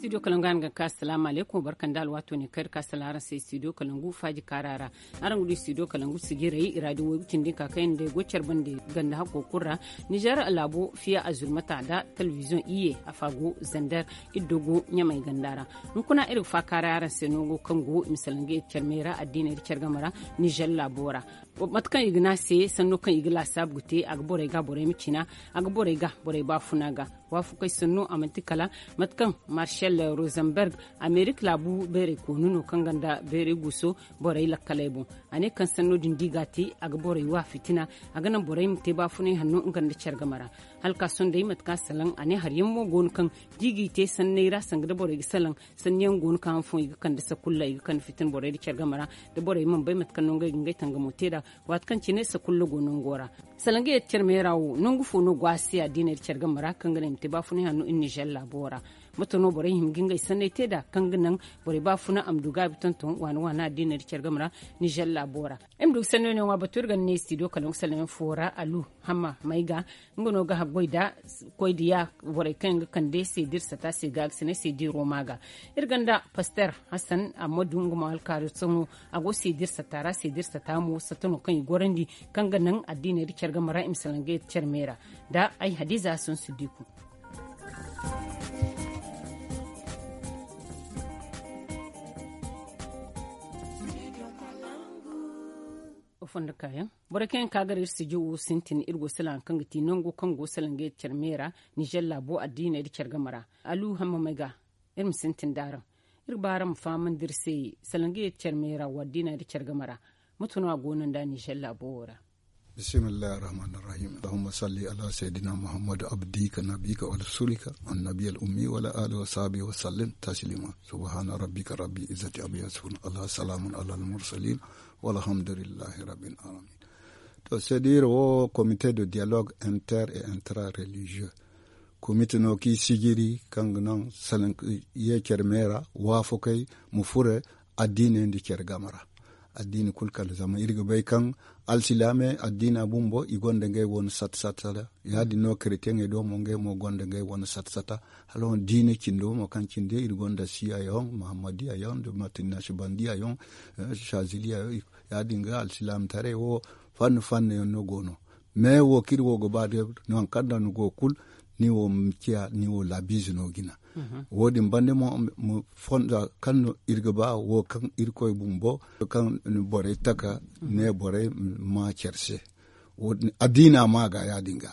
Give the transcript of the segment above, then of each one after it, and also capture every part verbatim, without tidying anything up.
Studio kalangu a na ga ka asalaamu aleykum barka nda alwaato ne kaŋ iri ka salaŋ araŋ se studio kalangu faaji kaara ra. Araŋ ga du studio kalangu sijirey i ra din waygu cindi ka kaŋ yaŋ day go care bande ganda hakko kulu ra. Nizer laabo fiya azurmata nda telebiziyoŋ iyye afa go zander. Iri do go ɲamay ganda ra. Hunkuna iri ga faakaaray araŋ se nango kaŋ go i ma salaŋ ga iri care me ra addiiney da care game ra. Nizer laabo ra mate kaŋ i ga ne a se sanno kaŋ i ga laasaabu ga te a ga borey ga borey ma cina. A ga borey ga borey baafuna ga waafakey sanno a manti kala mate kaŋ marshal rosenberg amerika laabu bayray koonu no kaŋ gonda bayray guuso borey lakkaley boŋ. A ne kaŋ sanno din da i ga a te a ga borey wa fitina. A ga naŋ borey ma te baafunay hanno nga nda care game ra. Hala ka sohõ day mate kaŋ a salaŋ a ne hari yaŋ mo go no kaŋ da i g'i te sanney ra sanga da borey ga salaŋ sanni yaŋ go no kaŋ hanfoŋ i ga kande sakulla i ga kande fitina borey nda care game ra. Da borey mana bay mate kaŋ no ngey ga ngey tangamo te nd'a waati kaŋ cine sakulla go nango ra. Salaŋ ga yee da care me ra wo nangu fo no go a se addiiney nda care game ra kaŋ ga naŋ i ma te baafunay hanno iri nizer laabo ra? Mate no borey hima ga ngey sanney te nd'a kaŋ ga naŋ borey baafuna a ma du gaabi tonton waani waani addiiney nda care game ra? Nizer laabo ra iri ma du ga sanno yaŋ ŋwa batu iri ga ne studio kalangu salaŋ yaŋ fo ra alu hamma may ga nga no ga haggoy nda koy nda ya borey kaŋ yaŋ ga kande seedir sata se ga ga si ne seediro ma ga. Iri gonda paster hassan ammadu nga mo alkaari sohõ a go seedir sata ra seedir sata mo sata no kaŋ i gorandi kaŋ ga naŋ addiiney nda care game ra i ma salaŋ ga yee da care me ra. Nda ay hadiza sun siddiku. Fondo kaayaŋ borey kaŋ yaŋ ka gar iri sijir wo sintin iri go salaŋ kaŋ ga ti nango kaŋ go salaŋ ga yee da care me ra. Nizer laabo addiiney nda care game ra alu hamma may ga iri ma sintin nda araŋ. Iri ga ba araŋ ma fahamandi iri se salaŋ ga yee da care me ra wo addiiney nda care game ra. Mate no a go no nda nizer laabo wo ra? Bismillahi arrahmani arrahim allahumma salli ala sayyidina muhammad abdika nabika wa rasulika annabi al ummi wa ala alihi wa sahbihi wa sallim taslima. Subhana rabbika rabbil izzati amma yasifun ala salamun ala al mursalin walhamdulillahi rabbil alamin. To c'est dire wo comité de dialogue inter et intra religieux comité no kaŋ i sijiri kaŋ ga naŋ salaŋ ye care me ra waafakey ma fure addiiney nda care game ra. Addiini kulu kala zama iri ga bay kaŋ alsilaamey addiina bumbo i gonda ngey wane sata sata ra. Ya- din no karetiyeŋey do mo ngey mo gonda ngey wane sata sata. Hala wane diina cindo mo kaŋ cinde iri gonda siya yaŋ muhammadiya yaŋ nda mate nasibandiya yaŋ, saziliya yaŋ. Ya- din ga alsilaamataray wo fanni fanni yaŋ no go no. Me wo kaŋ iri wo ga ba day nangu kaŋ ra ni go kulu ni wo ma ciya ni wo laabiize no jina. Wo- din banda mo fonda kaŋ no iri ga ba wo kaŋ irkoy bumbo kaŋ borey taka ne borey ma care se. Addiina ma ga ya- din ga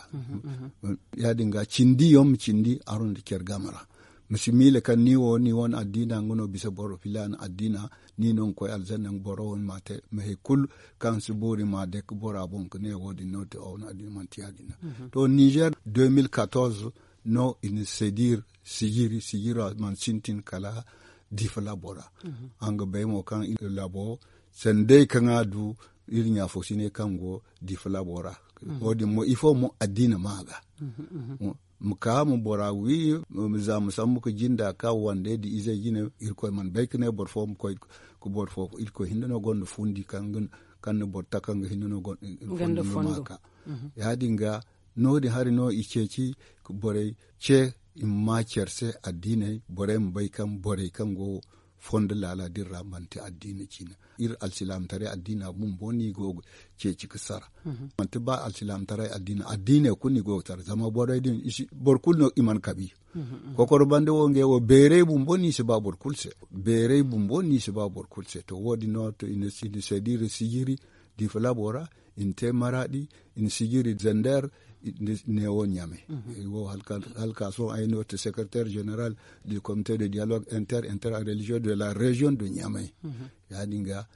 ya- din ga cindi yaŋ ma cindi araŋ nda care game ra. Ma si miila kaŋ ni wo ni wane addiina nga no bisa boro filaana addiina ni no ga koy alzanna nga boro wane ma te ma hari kulu kaŋ si boori ma day ga bora boŋ ga ne wo- din no te aw no addiina manti ya- din no. To nizer deux mille quatorze no i na sedir sijiri sijira mana sintin kala difa laabo ra. Araŋ ga bay mo kaŋ laabo sanday kaŋ a du iri ɲaafo sine kaŋ go difa laabo ra. Wo- din mo ifo mo addiina ma ga ma ka ma bora wi za ma sambu ga jinda ka wande nda izey jine. Irkoy mana bay ga ne boro fo ma koy ga boro fo irkoy hinne no gonda fundi kaŋ na boro taka nga hinne no gonda fondo ma ka. Ya- din ga no- din hari no i ceeci ga borey ce i ma ma care se addiiney borey ma bay kaŋ borey kaŋ go fondo laala din ra manti addiina ciina. Iri alsilaamataray addiina bumbo no i go ga ceeci ga sara. Manti ba alsilaamataray addiina addiiney kulu no i go ga sara zama borey din boro kulu no i mana kabi. Kokoro banda wo ngey wo beeray bumbo no i si ba boro kulu se. Beeray bumbo no i si ba boro kulu se to wo- din no to i na seediri sijiri difa laabo ra i na te maraadi i na sijiri zander neewo ɲamay. Hala ka sohõ ay no te secretaire général du comité de dialogue inter inter religieux de la région de ɲamay. Ya- din ga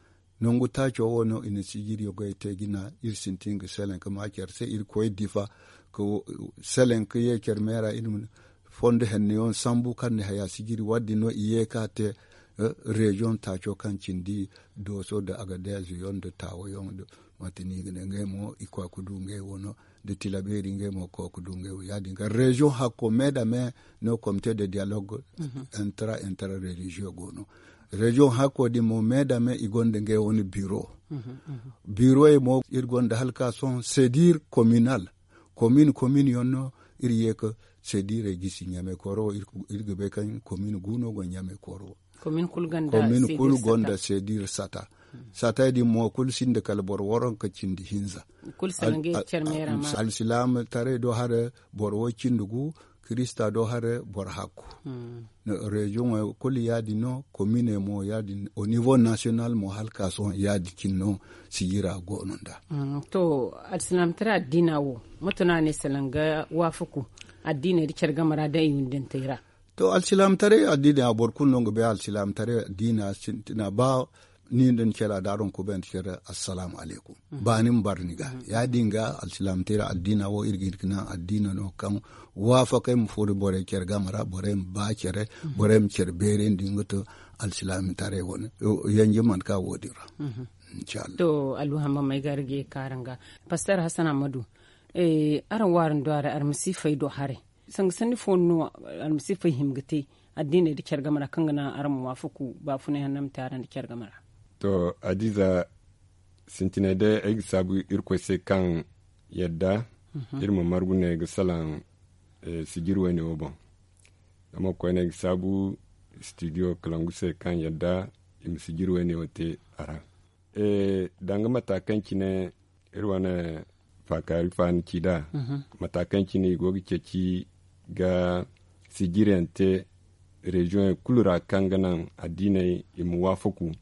nangu taaco wo no i na sijiri goyey te jina iri sintin ga selaŋ ga ma care se iri koy difa ga selaŋ ga ye care me ra iri ma fondo henna yaŋ sambu kaŋ na haya sijiri wo- din no i ye ga te. Reziyoŋ taaco kaŋ cindi dooso nda agadez yaŋ nda taawa yaŋ nda mate no i ga ne ngey mo i koy ga du ngey wo no nda tilabeeri ngey mo ga koy ga du ngey wo ya- din ga reziyoŋ hakko me nda me no comité de dialogue intra intra religieux go no. Reziyoŋ hakko din mo me nda me i gonda ngey wane biro. Biroyey mo iri gonda hala ka sohõ sedir communal. Komin komin yaŋ no iri ye ga seediirey gisi ɲamay kooro wo. Iri ga bay kaŋ komin gu no go ɲamay kooro wo. Komin kulu gonda seediir sata. Satey din mo kulu sinda kala boro waranka cindi hinza. Alsilaamataray do hare boro way cindi gu, kirista do hare boro hakku. Reziyoŋey kulu ya- din no, kominey mo ya- din, au nivo nasiyonal mo hala ka sohõ ya- din cine no. Sijira go no nd'a. To, alsilaamataray addiina wo, moto no a ne salaŋ ga waafaku addiiney nda care game ra da i windantey ra? To, alsilaamataray addiina, boro kulu no nga bay alsilaamataray addiina sintina ba ni nda ni care a da araŋ kubay nda care, assalaamu alaykum. Ba ni ma bara ni ga ya- din ga alsilaamataray addiina wo iri ga hin ga naŋ addiina no kaŋ waafakay ma furo borey care game ra, borey ma ba care, borey ma care beerandi nga to. Alsilaamataray wane yanji mana ka wo- din ra. To, alluhamba may ga iri ga ye ka araŋ ga, pastor hasan ahmadu, araŋ wo araŋ do haray almasiifey do haray, sanga sanni fo no almasiifey hima ga te addiiney nda care game ra kaŋ ga naŋ araŋ ma waafaku baafunay hanno ma te araŋ nda care game ra? To, adiiza, sintinay day ay ga saabu irkoy se kaŋ yadda iri ma margu ne ga salaŋ sijiri wayne wo boŋ. Zama koyne ay ga saabu studio kalangu se kaŋ yadda i ma sijiri wayne wo te a ra. Danga mata kaŋ cine iri wane faakaari faani ci nd'a, mata kaŋ cine i go ga ceeci ga sijiriyaŋ te reziyoŋey kulu ra kaŋ ga naŋ addiiney i ma waafaku.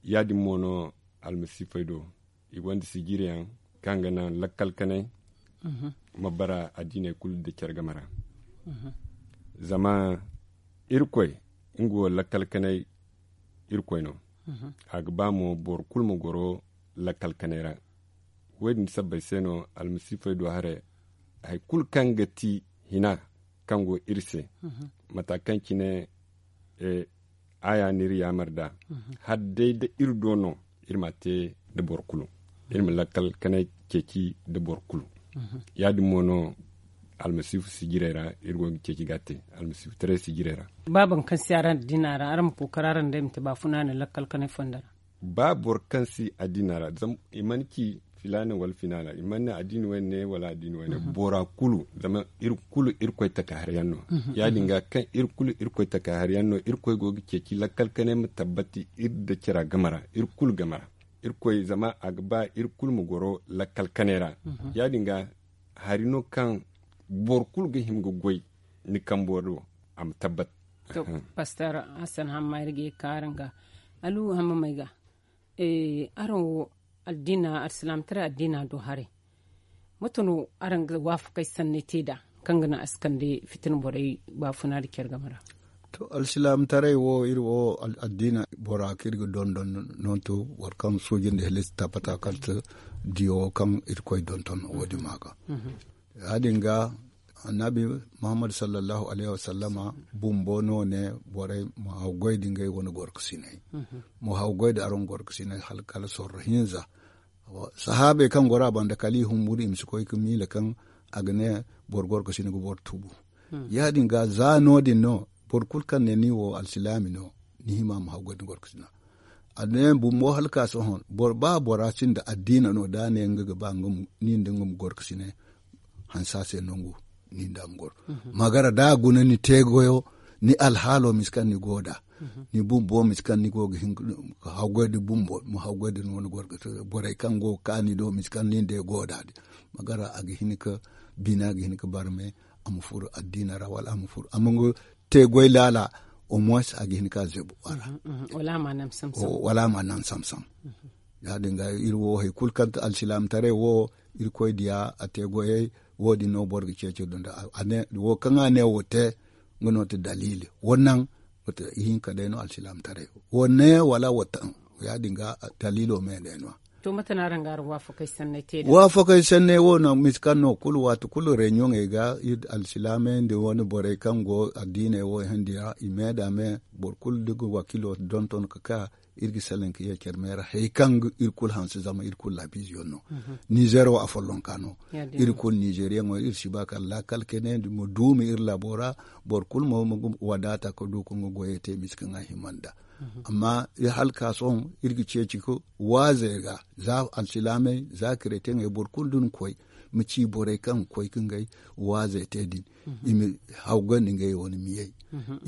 Ya- din mo no almasiifey do, i gonda sijiriyaŋ kaŋ ga naŋ lakkal kanay ma bara addiiney kulu nda care game ra. Zama irkoy, nga wo lakkal kanay irkoy no. A ga ba mo boro kulu ma goro lakkal kanay ra. Wo- din sabbay se no almasiifey do haray, hari kulu kaŋ ga ti hina kaŋ go iri se, mata kaŋ cine aaya n'iri yaamar nd'a, hala day da iri do no, iri m'a te nda boro kulu. Iri ma lakkal kanay ceeci nda boro kulu. Ya- din mo no almasiifu sijirey ra iri go ga ceeci ga a te, almasiifutaray sijirey ra. Ba boro kaŋ si araŋ addiina ra, araŋ ma kookari araŋ day ma te baafuna no lakkal kanay fonda ra. Ba boro kaŋ si addiina ra, zama i mana ci filaana wala filaana, i mana ne addiini wayne ne wala addiini wayne. Bora kulu, zama iri kulu irkoy taka hari yaŋ no. Ya- din ga kaŋ iri kulu irkoy taka hari yaŋ no, irkoy go ga ceeci lakkal kanay ma tabbati iri nda cara game ra, iri kulu game ra. Irkoy, zama a ga ba iri kulu ma goro lakkal kanay ra. Ya- din ga hari no kaŋ boro kulu ga hima ga goy ni kambo do, a ma tabbat. To, pastor hasan hamma iri ga ye ka araŋ ga, alu hamma may ga, araŋ wo addiina, alsilaamataray addiina do haray, mate no araŋ ga waafakay sanney te nd'a kaŋ ga naŋ a si kande fitina borey baafuna nda care game ra? To, alsilaamataray wo, iri wo addiina bora kaŋ iri ga dondon no to, boro kaŋ suuji nda halaci tabbata kala diyo kaŋ irkoy donton wo- din ma ga. Ya- din ga annabi muhammadu sallallahu alayhi wasallama bumbo no ne borey ma hawgoy da ngey wane gorkasiney, ma hawgoy da araŋ gorkasiney hala kala sorro hinza. Sahaabey kaŋ goro a banda kala i humburu i ma si koy ga miila kaŋ a ga ne boro gorkasina ga boro tubu. Ya- din ga za no- din no boro kulu kaŋ ne ni wo alsilaami no, ni hima ma hawgoy da gorkasina. A ne bumbo hala ka sohõ, ba bora sinda addiina no da a ne nga ga ba ni nda nga ma goro ga sine hansa se nangu ni nda a ma goro. Magara da a guna ni te goyo, ni alhaalo misi kaŋ ni go da, ni bumbo misi kaŋ ni go ga hin ka hawgoy da bumbo ma hawgoy da ni wane goro ga te borey kaŋ go ga kaani do misi kaŋ ni nda go da din. Magara a ga hin ka bina ga hin ka barme, a ma furo addiina ra wala a ma furo a ma nga te goy laala. Au moins a ga hin ka zebu wala a ma naŋ samsam. Ya- din ga iri wo hari kulu kaŋ ti alsilaamataray wo, irkoy diya a te goyey, wo- din no boro ga ceeci dunda wo kaŋ a ne wo te. Nga no ti daliili wo naŋ, ihinka day no alsilaamataray wo ne wala wo taŋ. Ya- din ga daliilo me day no. To mate no araŋ ga araŋ waafakay sanney te da waafakay sanney wo naŋ misi kaŋ no kulu waati kulu reuniyoŋey ga iri alsilaamey nda wane borey kaŋ go addiiney wo handi ra i me da me. Boro kulu da ga wakiilo donton ka ka iri ga salaŋ ka ye care me ra hari kaŋ ga iri kulu hanse zama iri kulu laabiizeyaŋ no. Nizer wo afollonka no. Iri kulu nizeriyaŋo iri si ba kala laakal kene ma duumi iri laabo ra. Boro kulu mo ma wadaata ka du ka nga goyey te misi kaŋ a hima nda Amma hala ka sohõ iri ga ceeci ga waazey ga za alsilaamey za kireteŋey boro kulu da ni koy ma ci borey kaŋ ga koy ga ngey waazey te din. I ma hawgandi ngey wane miyey.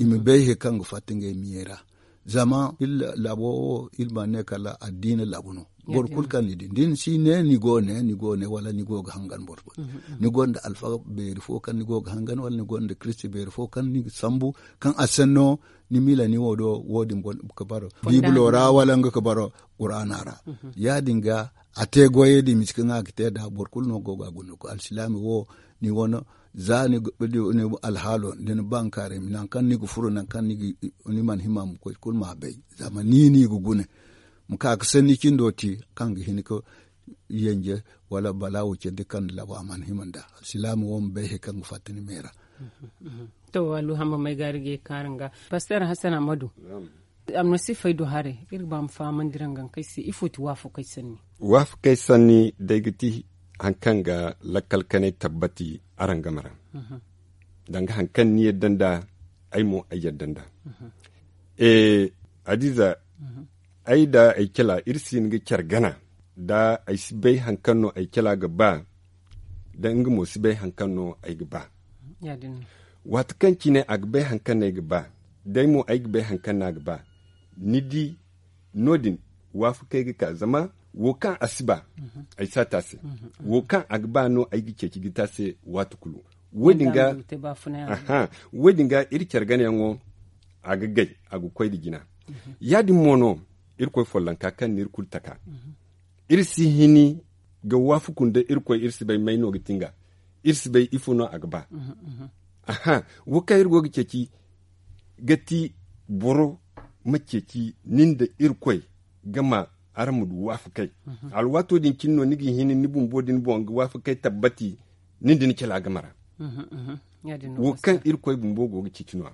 I ma bay he kaŋ ga fatta ngey miyey ra. Zama iri laabo wo iri mana ne kala addiina laabu no. Boro kulu kaŋ ni di da ni si ne ni go ne ni go ne wala ni go ga hangan boro fo, ni gonda alfaga beeri fo kaŋ ni go ga hangan wala ni gonda kiristi beeri fo kaŋ ni ga sambu kaŋ a sanno ni miila ni wo do wo- din ga baro biibilo ra wala nga ga baro quraana ra. Ya- din ga a te goyey din misi kaŋ a ga te nd'a boro kulu no go ga a guna alsilaami wo ni wane za ni alhaalo da ni bankaaray nangu kaŋ ni ga furo nangu kaŋ ni mana hima ma koy kulu ma a bay. Zama ni no i ga guna ma ka ga sanni cindo te kaŋ ga hin ga yanje wala balaawo candi kaŋ ni labo a mana hima nd'a alsilaami wo ma bay hari kaŋ ga fatta ni me ra. To alluhamba may ga iri ga ye kaara nga paster hasan amadu. Almasiifey do haray iri ga ba ma fahamandi rangankey se ifo ti waafakey sanni? Waafakey sanni day ga ti hari kaŋ ga lakkal kanay tabbati araŋ game ra. Danga hari kaŋ ni yadda nd'a ay mo ay yadda nd'a. Hadiza, ay nda ay cala iri si hin ga care gana da ay si bay hari kaŋ no ay cala ga ba da nga mo si bay hari kaŋ no ay ga ba. Waati kaŋ cine a ga bay hari kaŋ no ay ga ba da ay mo ay ga bay hari kaŋ no a ga ba. Ni di no- din waafakey ga ka zama wo kaŋ a si ba ay si a te a se. Wo kaŋ a ga ba no ay ga ceeci ga te a se waati kulu. Wo- din ga iri care ganayaŋo a ga gay a ga koy nda jina. Ya- din mo no irkoy follonka kaŋ no iri kulu taka iri si hini ga waafaku nda irkoy iri si bay may no ga ti nga iri si bay ifo no a ga ba. Wo kaŋ iri go ga ceeci ga ti boro ma ceeci nin da irkoy ga ma araŋ ma du waafakey. Alwaato din cine no ni ga hin ni bumbo din boŋ ga waafakey tabbati nin da ni cala game ra. Wo kaŋ irkoy bumbo go ga ceeci no-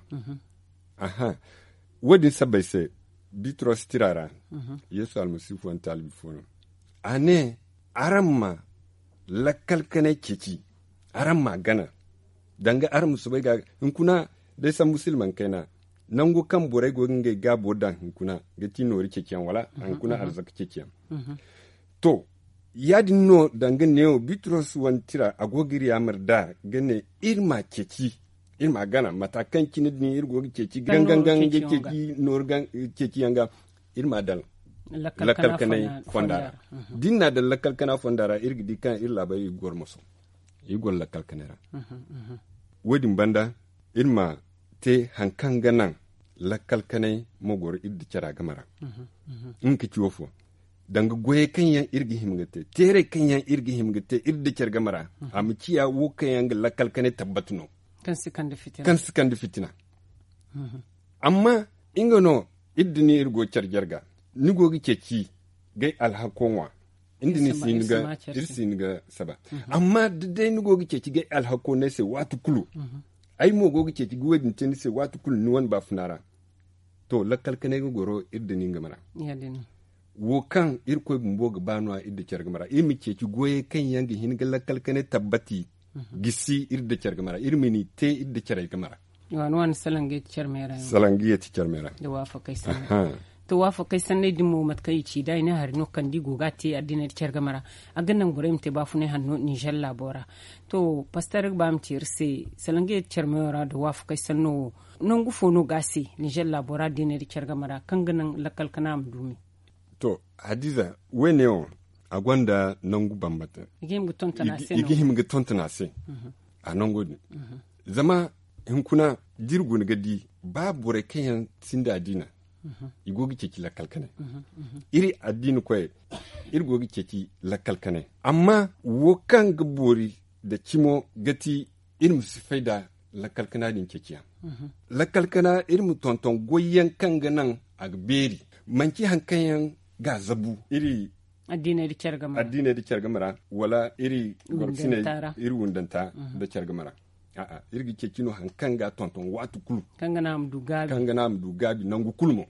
ya wo- din sabbay se bitros tira ra yeesu almasiifu wane taalibi fo no a ne araŋ ma lakkal kanay ceeci araŋ ma a gana danga araŋ ma soobay ga hunkuna day sambu silmaŋ kayna nangu kaŋ borey go ga ngey gaabo daŋ hunkuna ga ti noori ceeciyaŋ wala hunkuna arzaka ceeciyaŋ. To ya- din no danga neewo bitros wane tira a go ga iri yaamar nd'a ga ne iri ma ceeci iri ma gana mata kaŋ cine din iri go ga ceeci gangangan ga ceeci nooru ceeciyaŋ ga iri ma a daŋ lakkal kanay fonda ra. Da iri na a daŋ lakkal kana fonda ra iri ga di kaŋ iri laabay iri ga goro moso iri goro lakkal kanay ra. Wo- din banda iri ma te hari kaŋ ga naŋ lakkal kanay ma goro iri nda cara game ra. Nga ka ci wo fo danga goyey kaŋ yaŋ iri ga hima ga te teerey kaŋ yaŋ iri ga hima ga te iri nda care game ra a ma ciya wo kaŋ yaŋ ga lakkal kanay tabbati no kaŋ si kande fitina. Amma nga no iri da ni iri go care jarga ni go ga ceeci gay alhako ŋwa. Iri si hin ga saba amma da day ni go ga ceeci gay alhako no ay se waati kulu ay mo go ga ceeci ga wo- din te ni se waati kulu ni wane baafuna ra. To lakkal kanay ga goro iri da ni game ra. Wo kaŋ irkoy bumbo ga ba no- ya iri da care game ra iri ma ceeci goyey kaŋ yaŋ ga hin ga lakkal kanay tabbati gisi iri da care game ra iri ma ni te iri da carey game ra. Waani waani salaŋ ga yeeti care me ra yaŋ salaŋ ga yeeti care me ra. Da waafakey sanney to waafakey sanney din mo mate kaŋ i ci da i ne hari no kaŋ da i go ga a te addiiney da care game ra. A ga naŋ borey ma te baafunay hanno ninzeer laabo ra. To paster ga ba ma ci iri se salaŋ ga yeeti care meyo ra da waafakey sanno wo nangu fo no ga a se ninzeer laabo ra addiiney da care game ra kaŋ ga naŋ lakkal kana ma du me? To hadiza wo- ne wo a gonda nangu bambata i ga hima ga tonton a se. A nango din zama hunkuna da iri guna ga di ba borey kaŋ yaŋ sinda addiina i go ga ceeci lakkal kanay. Iri addiina koyey iri go ga ceeci lakkal kanay amma wo kaŋ ga boori nda cimo ga ti iri ma si fay nda lakkal kana din ceeciyaŋ. Lakkal kana iri ma tonton goyyaŋ kaŋ ga naŋ a ga beeri manci hari kaŋ yaŋ ga a zabu iri addiiney da care game ra wala iri gorsiney iri wundanta nda care game ra. A'a iri ga ceeci no hari kaŋ ga a tonton waati kulu kaŋ ga naŋ a ma du gaabi nangu kulu mo.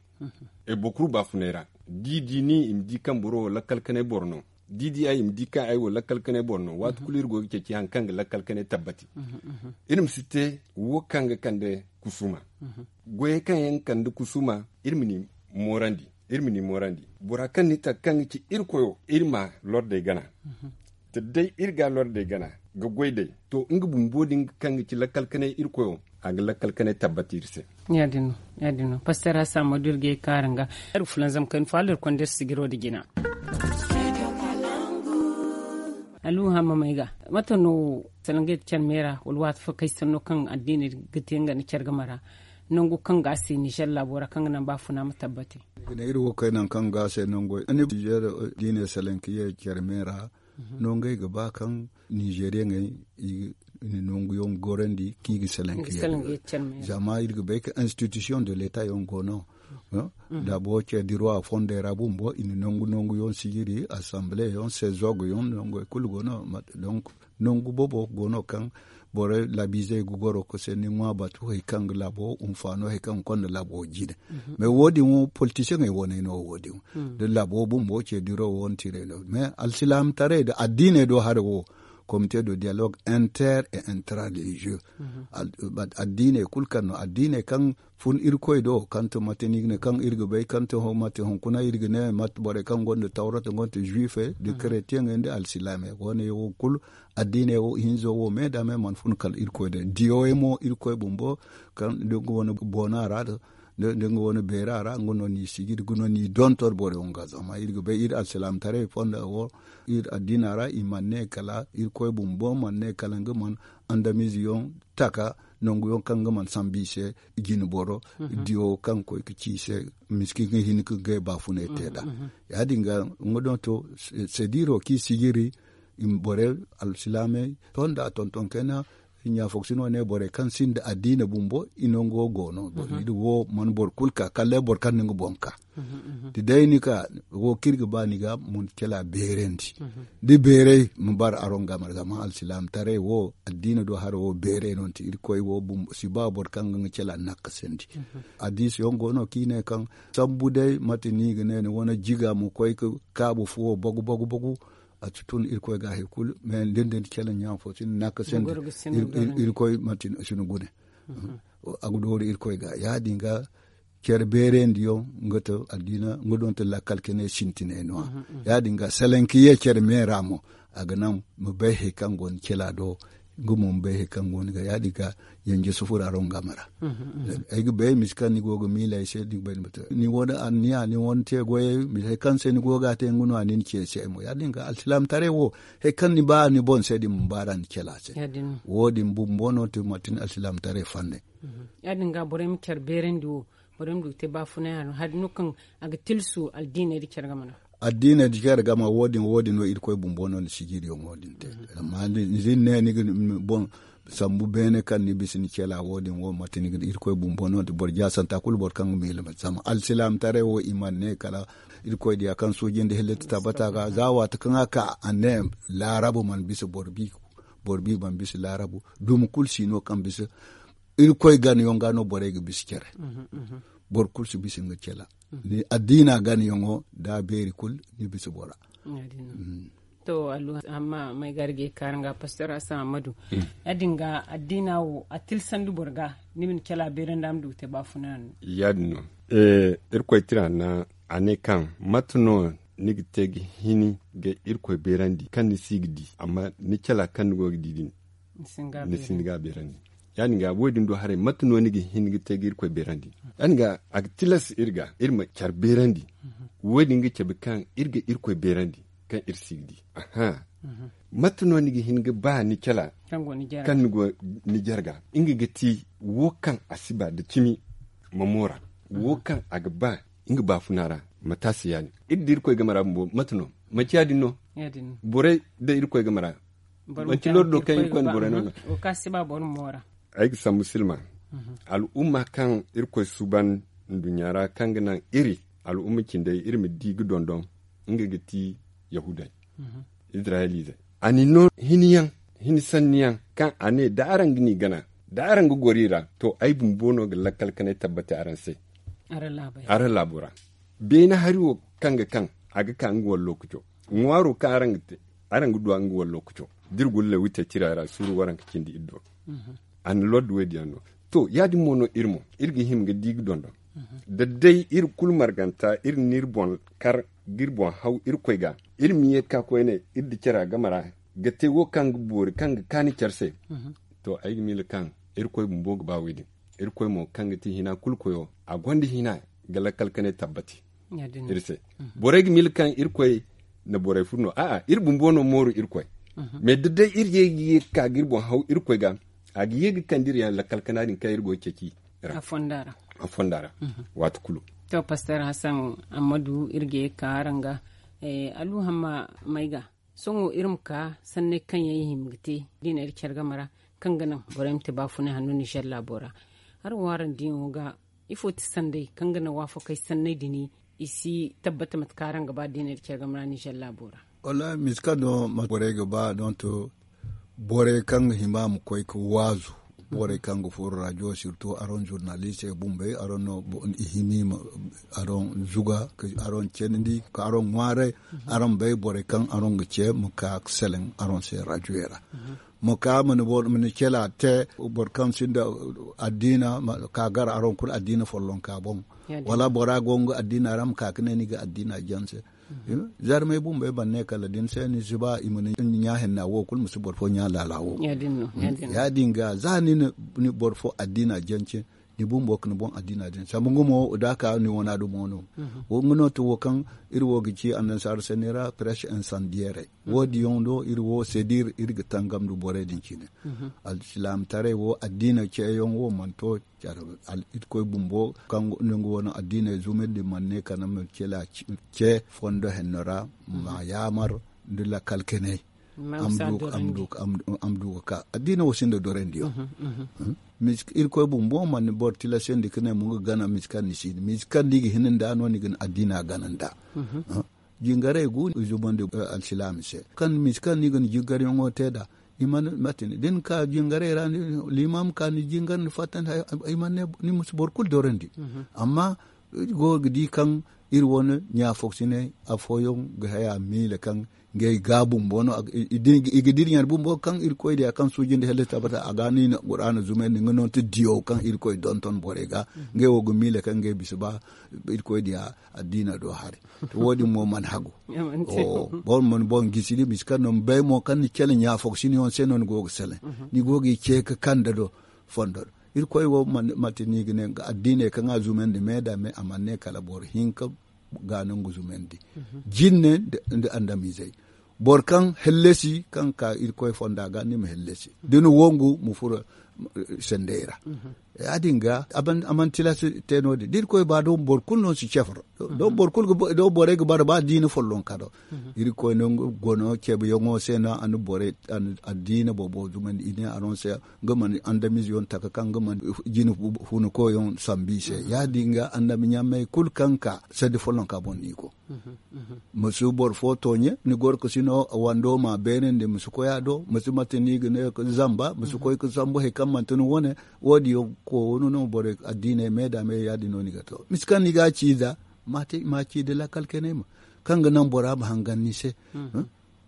Boro kulu baafunay ra da i di ni i ma di kaŋ boro wo lakkal kanay boro no da i di ay i ma di kaŋ ay wo lakkal kanay boro no waati kulu iri go ga ceeci hari kaŋ ga lakkal kanay tabbati. Iri ma si te wo kaŋ ga kande kusuuma goyey kaŋ yaŋ ga kande kusuuma iri ma ni moorandi. Iri ma ni moorandi bora kaŋ ni ta kaŋ ga ci iri koyo iri ma lordey gana. Te day iri ga lordey gana ga goy day to nga bumbo din kaŋ ga ci lakkal kanay iri koyo a ga lakkal kanay tabbata iri se. Ya- din no. Pastor hassan ma du iri ga ye kaara nga iri fulanzam kayna fo hala iri konda iri sijiro nda jina. Alluhu hamma may ga mate no salangey da care me ra wala waati fo kay sanno kaŋ addiiney ga te nga nda care game ra? Nangu kaŋ ga a se nizer laabo ra kaŋ ga naŋ baafuna ma tabbate. Iri wo kay nangu kaŋ ga a se nangu nizer diine salankiye care me ra. Nongey ga ba kaŋ nizeriyaŋey i na nanguyaŋ gorandi kaŋ i ga salankiye. Zama iri ga bay ka institution de leta yaŋ go no. Laabo care diro a fondey ra bumbo i na nangu nanguyaŋ sijiri assemblee yaŋ sezog yaŋ nongey kulu go no. Donc nangu boobo go no kaŋ borey laabiizey ga goro ga se ni ŋwa batu hari kaŋ ga laabo hunfaano hari kaŋ ga konda laabo jine. Mais wo- din wo politisiyaŋey wane no wo- din da laabo bumbo ce diro wo ni tiray no mais alsilaamataray da addiiney do haray wo. Comité de dialogue inter et intra religieux. Addiiney kulu kaŋ no addiiney kaŋ fun irkoy do kaŋ ti mate ni ga ne kaŋ iri ga bay kaŋ ti mate hunkuna iri ga ne mate borey kaŋ gonda tawrata gonda juifey da kretiyangey nda alsilaamey wane wo kulu. Addiiney wo hinzo wo me da me mana fun kala irkoy do diyoy mo irkoy bumbo kaŋ da nga wane boona ra da nga wane beera ra nga no ni sijiri nga no ni dontor borey wo nga zama iri ga bay iri alsilaamataray fonda wo iri addiina ra i mana ne kala irkoy bumbo mana ne kala nga mana andamiize yaŋ taka nangu yaŋ kaŋ nga mana sambu i se. Jine boro diyo kaŋ ga koy ga ci i se miski ga hin ga ngey baafunay te nd'a. Ya- din ga nga donto sediro kaŋ i sijiri borey alsilaamey to nd'a tonton kayna. Ɲaafoksin wane borey kaŋ sinda addiina bumbo i nango go no. Iri wo mana boro kulu ka kala day boro kaŋ na nga boŋ ka da day ni ka wo kaŋ iri ga ba ni ga ma ni cala beerandi. Da beeray ma bara araŋ game ra zama alsilaamataray wo addiina do hara wo beeray no ni te irkoy wo bumbo si ba boro kaŋ ga nga cala nakkasandi. Addiisi yaŋ go no kaŋ i ne kaŋ sambu day mate no i ga ne ni wane jiga ma koy ga kaabu fuwo bagu bagu bagu. A si tun irkoy ga hari kulu mais da ni da ni cala ɲaafo si ni nakkasandi. Irkoy mate si ni gune a ga dooru irkoy ga ya- din ga care beerandiyaŋ nga ti addiina nga donto lakkal kanay sintinay no- ya ya- din ga salaŋ ka ye care me ra mo a ga naŋ ma bay hari kaŋ go ni cala do. Nga mo ma bay hari kaŋ go ni ga ya- din ga yanje sufura ra nga ma ra. Ay ga bay misi kaŋ ni go ga miila ay se ni ga bay ni ma te ni wane anniya ni wane te goyey misi hari kaŋ se ni go ga a te nga no a ni na ce ay se ay mo ya- din ga alsilaamataray wo hari kaŋ ni ba ni boŋ se din ma baara ni cala se. Wo- din bumbo no ti manti ni alsilaamataray fanney. Ya- din ga borey ma care beerandi wo borey ma du ga te baafunay a no hari no kaŋ a ga tilsu addiiney da care game ra. Addiiney da care game wo- din wo- din no irkoy bumbo no ni sijiriyaŋo din te. Amma ni ne ni ga boŋ sambu beene kaŋ ni bisa ni cela wo- din wo manti ni ga irkoy bumbo no da boro jaasanta kulu boro kaŋ ga miila zama alsilaamataray wo i mana ne kala irkoy diya kaŋ suuji nda hillati tabbata ga za waati kaŋ a ka a ne laarabu mana bisa boro bi boro bi mana bisa laarabu dumi kulu si no kaŋ bisa. Irkoy ganayaŋ ga no borey ga bisa care. Boro kulu si bisa nga cela ni addiina ganayaŋo da a beeri kulu ni bisa bora. To allu amma may ga arge kaara nga pastor hassan ammadu ya- din ga addiina wo a tilsandi boro ga ni ma ni cala beerandi a ma du ga te baafuna no. Ya- din no irkoy tira na a ne kaŋ mate no ni ga te ga hini ga irkoy beerandi kaŋ ni si ga di amma ni cala kaŋ ni go ga di din ni sinda ga beerandi. Ya- din ga wo- din do haray mate no ni ga hin ga te ga irkoy beerandi ya- din ga a ga tilas iri ga iri ma care beerandi. Wo- din ga cabe kaŋ iri ga irkoy beerandi kaŋ iri si ga di. Mate no ni ga hin ga ba ni cala kaŋ ni go ni jarga nga ga ti wo kaŋ a si ba da cimi ma moora wo kaŋ a ga ba nga baafuna ra. Mate a se ya- din iri da irkoy game ra bumbo mate no manti ya- din no. Borey da irkoy game ra manti lordo kaŋ irkoy na borey no. Ay ga sambu silma al'umma kaŋ irkoy suuban nduɲɲa ra kaŋ ga naŋ iri al'umma cindey iri ma di ga dondon nga ga ti yahuudey. Izirayeliizey a n'i no hini yaŋ hini sanni yaŋ kaŋ a ne da araŋ ga n'i gana da araŋ ga goro i ra to ay bumbo no ga lakkal kanay tabbati araŋ se. Araŋ laabo ra beene hari wo kaŋ ga kaŋ a ga ka nga wane lookaco ŋwaaro kaŋ araŋ ga te araŋ ga duw'a nga wane lookaco da iri guna lewitey tira ra suuru waranka cindi iri do. A na lordi wo- din yaŋ no. To ya- din mo no iri mo iri ga hima ga di ga dondon Da day iri kulu marganta iri na iri boŋ kar ga iri boŋ haw irkoy ga, iri ma ye ga ka koyne iri da care a game ra ga te wo kaŋ ga boori kaŋ ga kaani care se. To ay ga miila kaŋ irkoy bumbo ga ba wo- din. Irkoy mo kaŋ ga ti hina kulu koyo a gonda hina ga lakkal kanay tabbati iri se. Borey ga miila kaŋ irkoy na borey furu no a'a iri bumbo no mooru irkoy. Mais da day iri ye ga ye ga ka ga iri boŋ haw irkoy ga a ga ye ga kande iri yaŋ lakkal kana din kaŋ iri go ga ceeci ra a fonda ra. Waati kulu. To pastor hassan ammadu iri ga ye ga ka araŋ ga. Alluhamma may ga sohõ iri ma ka sanney kaŋ yaŋ i hima ga te diina iri care game ra kaŋ ga naŋ borey ma te baafunay hanno nizer laabo ra. Araŋ wo araŋ diyaŋo ga ifo ti sanday kaŋ ga naŋ waafakey sanney din i si tabbata mate kaŋ araŋ ga ba diina iri care game ra nizer laabo ra? Wallaahi misi kaŋ no borey ga ba donto borey kaŋ ga hima ma koy ga waazu borey kaŋ ga furo rajo sirtu araŋ zurnalistey bumbey araŋ no i hima i ma araŋ zuga ka araŋ ceenandi ka araŋ ŋwaaray. Araŋ bay borey kaŋ araŋ ga ce ma ka ga seleŋ araŋ se rajoyey ra. Ma ka ma ni cela te boro kaŋ sinda addiina ka gar araŋ kulu addiina follonka boŋ. Wala bora go nga addiina ra ma ka ga ne ni ga addiina jaŋ se. Zarmey bumbey ban ne kala da ni se ni si ba i ma ni ɲa henna wo kulu ma si boro fo ɲa laala wo. Ya- din ga za ni na boro fo addiina jaŋ ce ni bumbo ga ni boŋ addiina din sambu nga mo da a ka ni wana dumo no. Wo nga no ti wo kaŋ iri wo ga ci annansaaru sanni ra presse insandiyeerey wo- din yaŋ do iri wo sedir iri ga tangam nda borey din cine. Alsilaamataray wo addiina ceeyaŋ wo mana to care irkoy bumbo kaŋ nga wane addiiney zumandi mana ne kala ma ce fondo henno ra ma yaamar nda lakkal kanay. Am du ga ka addiina wo sinda dorandiyo. Irkoy bumbo mana boro tilasandi ka ne mo nga gana misi kaŋ ni si ni misi kaŋ ni ga hina nda no ni ga ni addiina gana nda. Jingarey gu i zumandi alsilaami se kaŋ misi kaŋ ni ga ni jingaryaŋo te nd'a. I mana mate ni da ni ka jingarey ra limaami ka ni jingar ni fattandi i mana ne ni ma si boro kulu dorandi. Amma iri go ga di kaŋ iri wane ɲaafoksiney afooyaŋ ga haya miila kaŋ ngey ga bumbo no i ga dira ɲaari bumbo kaŋ irkoy diya kaŋ suuji nda helle tabbata a ga no i na qur'aana zumandi nga no ti diyaw kaŋ irkoy donton borey ga ngey wo ga miila kaŋ ngey bisa ba irkoy diya addiina do haray. To wo- din mo mana hagu. Boro mana boŋ gisi ni bisa kaŋ no ma bay mo kaŋ ni cele ɲaafoksiney yaŋ se no ni go ga sele ni go ga i ce ga kande do fondo do. Irkoy wo mate no i ga ne addiiney kaŋ a zumandi me nda me a mana ne kala boro hinka ga no nga zumandi jinne nda andamizey. Boro kaŋ hallasi kaŋ ga ka irkoy fonda ga ni ma hallasi da ni wangu ma furo sendey ra. Ya- din ga a mana tilas te no- din da irkoy ba do boro kulu no si cefar do borey ga bara ba diina follonka do. Irkoy no nga gono ceebayaŋo se no a na borey addiina boobo zumandi i ne araŋ se nga mana andamize yaŋ taka kaŋ nga mana jine hunakoyaŋ sambu i se ya- din ga annabi ɲaamey kulu kaŋ ga ka saddi follonka boŋ no i go. Ma si boro fo tooɲe ni goro ga si no wando ma beerandi ma si koy a do ma si mate no i ga ne zamba ma si koy ga sambu hari kaŋ manti ni wane. Wo- din yaŋ koonu no borey addiiney me nda me ya- din no ni ga to misi kaŋ ni ga a ci za ma ci nda lakkal kanay ma kaŋ ga naŋ bora ma hangan ni se.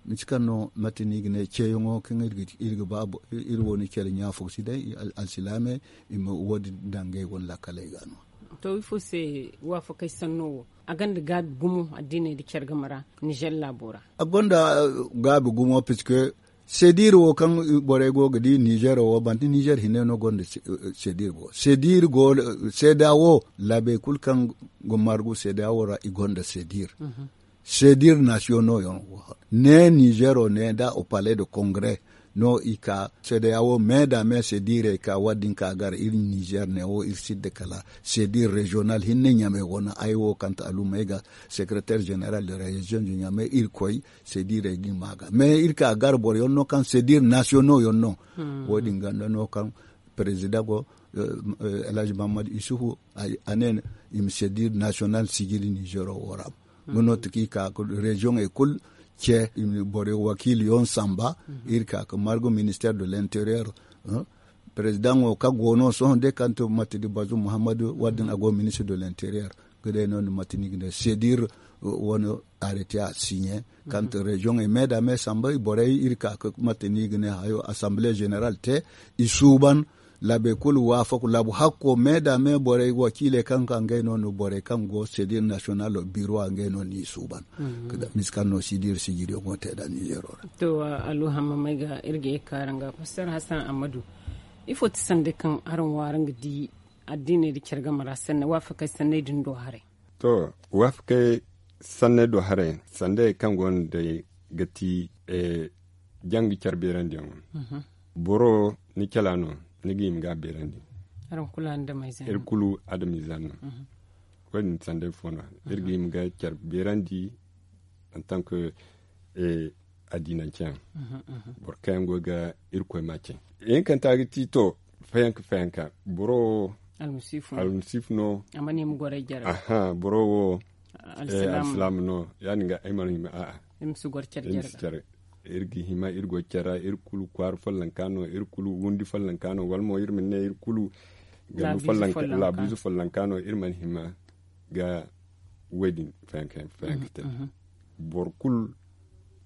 Misi kaŋ no mate no i ga ne ceeyaŋo kaŋ iri ga ba iri wo ni care ɲaafo si day alsilaamey i ma wo- din daŋ ngey wane lakkaley ga no. To ifo se waafakey sanno wo a gonda gaabi gumo addiiney nda care game ra nizer laabo ra? A gonda gaabi gumo puisque sedir wo kaŋ borey go ga di nizer wo manti nizer hinne no gonda sedir go sedir go seeda wo laabey kulu kaŋ ga margu seeda wo ra i gonda sedir. Sedir nasiyono yaŋ ne nizero ne nda o palais de congrès no i ka sedeya wo me da me sedirey ka wadin ka gar iri nizer ne wo iri sidda kala sedir regional hinne ɲamey wane ay wo kanta alumey ga secretaire général de région de ɲamey iri koy sedirey din ma ga me iri ka gar boro yaŋ no kaŋ sedir nasiyono yaŋ no. Wo- din ganda no kaŋ président go elhaji mahamadu isufu a ne i ma sedir national sijili nizero wo ra. Nga no ti ka i ka ka regioney kulu ce i ma boro wakiili yaŋ samba iri ka ka margu ministère de l'intérieur. Président wo ka go no sohõ day kaŋ ti mate di bazum muhammadu wadin a go ministre de l'intérieur ga day no ni mate ni ga ne sedir wane arrêté a signé kaŋ ti regioney me da me samba borey iri ka ka mate ni ga ne hayo assemblée générale te i suuban. Laabey kulu waafaku laabu hakko me da me borey wakiiley kaŋ ka ngey no no borey kaŋ go sedir nasiyonal biro a ngey no ni suuban. Misi kaŋ no sidir sijiriyo go te da nizero ra. To aluhamma may ga iri ga ye kaara nga pastor hassan ammadu. Ifo ti sanda kaŋ araŋ waara nga di addiney da care game ra sanney waafakey sanney din do haray. To waafakey sanney do haray sandey kaŋ go no day ga ti janga care beerandiyaŋo. Boro ni cala no ni ga hima ga a beerandi. Iri kulu adamizan no. Wo- din sandey fo no iri ga hima ga care beerandi. En tant que addiinanceyaŋ boro kaŋ yaŋ go ga irkoy ma ce. Ihinkanta ga ti to fayanka fayanka boro wo almasiifu no. Boro wo alsilaama no. Ya- din ga ay mana hima a'a. Iri ga hima iri go care ra iri kulu kwaara follonka no iri kulu wundi follonka no wala mo iri ma ne iri kulu laabiize follonka no iri mana hima ga wo- din fayanka fayanka te. Boro kulu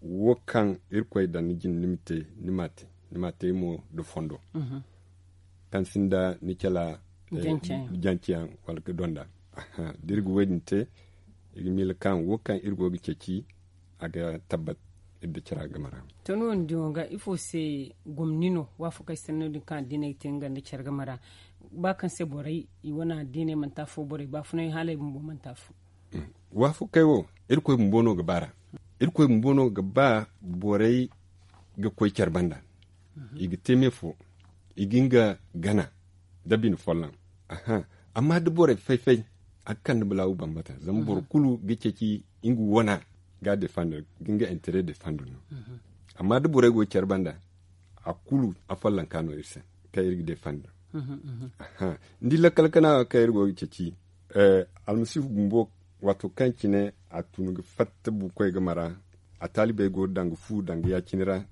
wo kaŋ irkoy daŋ ni jine ni ma te ni ma te ni ma te mo nda fondo kaŋ sinda ni cala janceyaŋ wala ga donda. Da iri ga wo- din te iri ga miila kaŋ wo kaŋ iri go ga ceeci a ga tabbat iri da cara game ra. To ni wo ni diyaŋo ga ifo se gomni no waafakey sanno din kaŋ addiney ga te nga nda care game ra ba kaŋ se borey i wane addiney manti afo borey baafunay haaley bumbo manti afo. Waafakey wo irkoy bumbo no ga ba ra. Irkoy bumbo no ga ba borey ga koy care banda i ga te me fo i ga nga gana da bine folloŋ. Amma da borey fay-fay a ga kande balaawu bambata zama boro kulu ga ceeci nga wana ga a defandar ga nga intere defandar no. Amma da borey go care banda a kulu a follonka no iri se kaŋ iri ga defandar. Ni di lakkal kana kaŋ iri go ga ceeci almasiihu bumbo waato kaŋ cine a tun ga fatta bukoy game ra a taalibey go ga daŋ ga fu daŋ ga ya- cine ra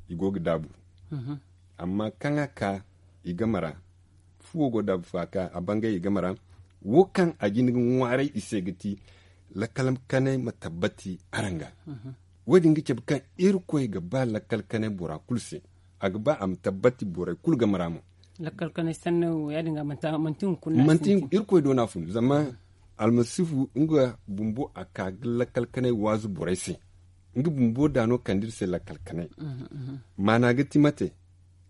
i go ga daabu. Amma kaŋ a ka i game ra fuwo go daabu fo a ka a bangay i game ra wo kaŋ a jin ga ŋwaaray i se ga ti lakkal kanay ma tabbati araŋ ga. Wo- din ga cabe kaŋ irkoy ga ba lakkal kanay bora kulu se a ga ba a ma tabbati borey kulu game ra mo. Lakkal kanay sanno ya- din ga manti hunkuna manti irkoy do no a fun zama almasiihu nga bumbo a ka ga lakkal kanay waazu borey se. Nga bumbo daano kande iri se lakkal kanay maana ga ti mate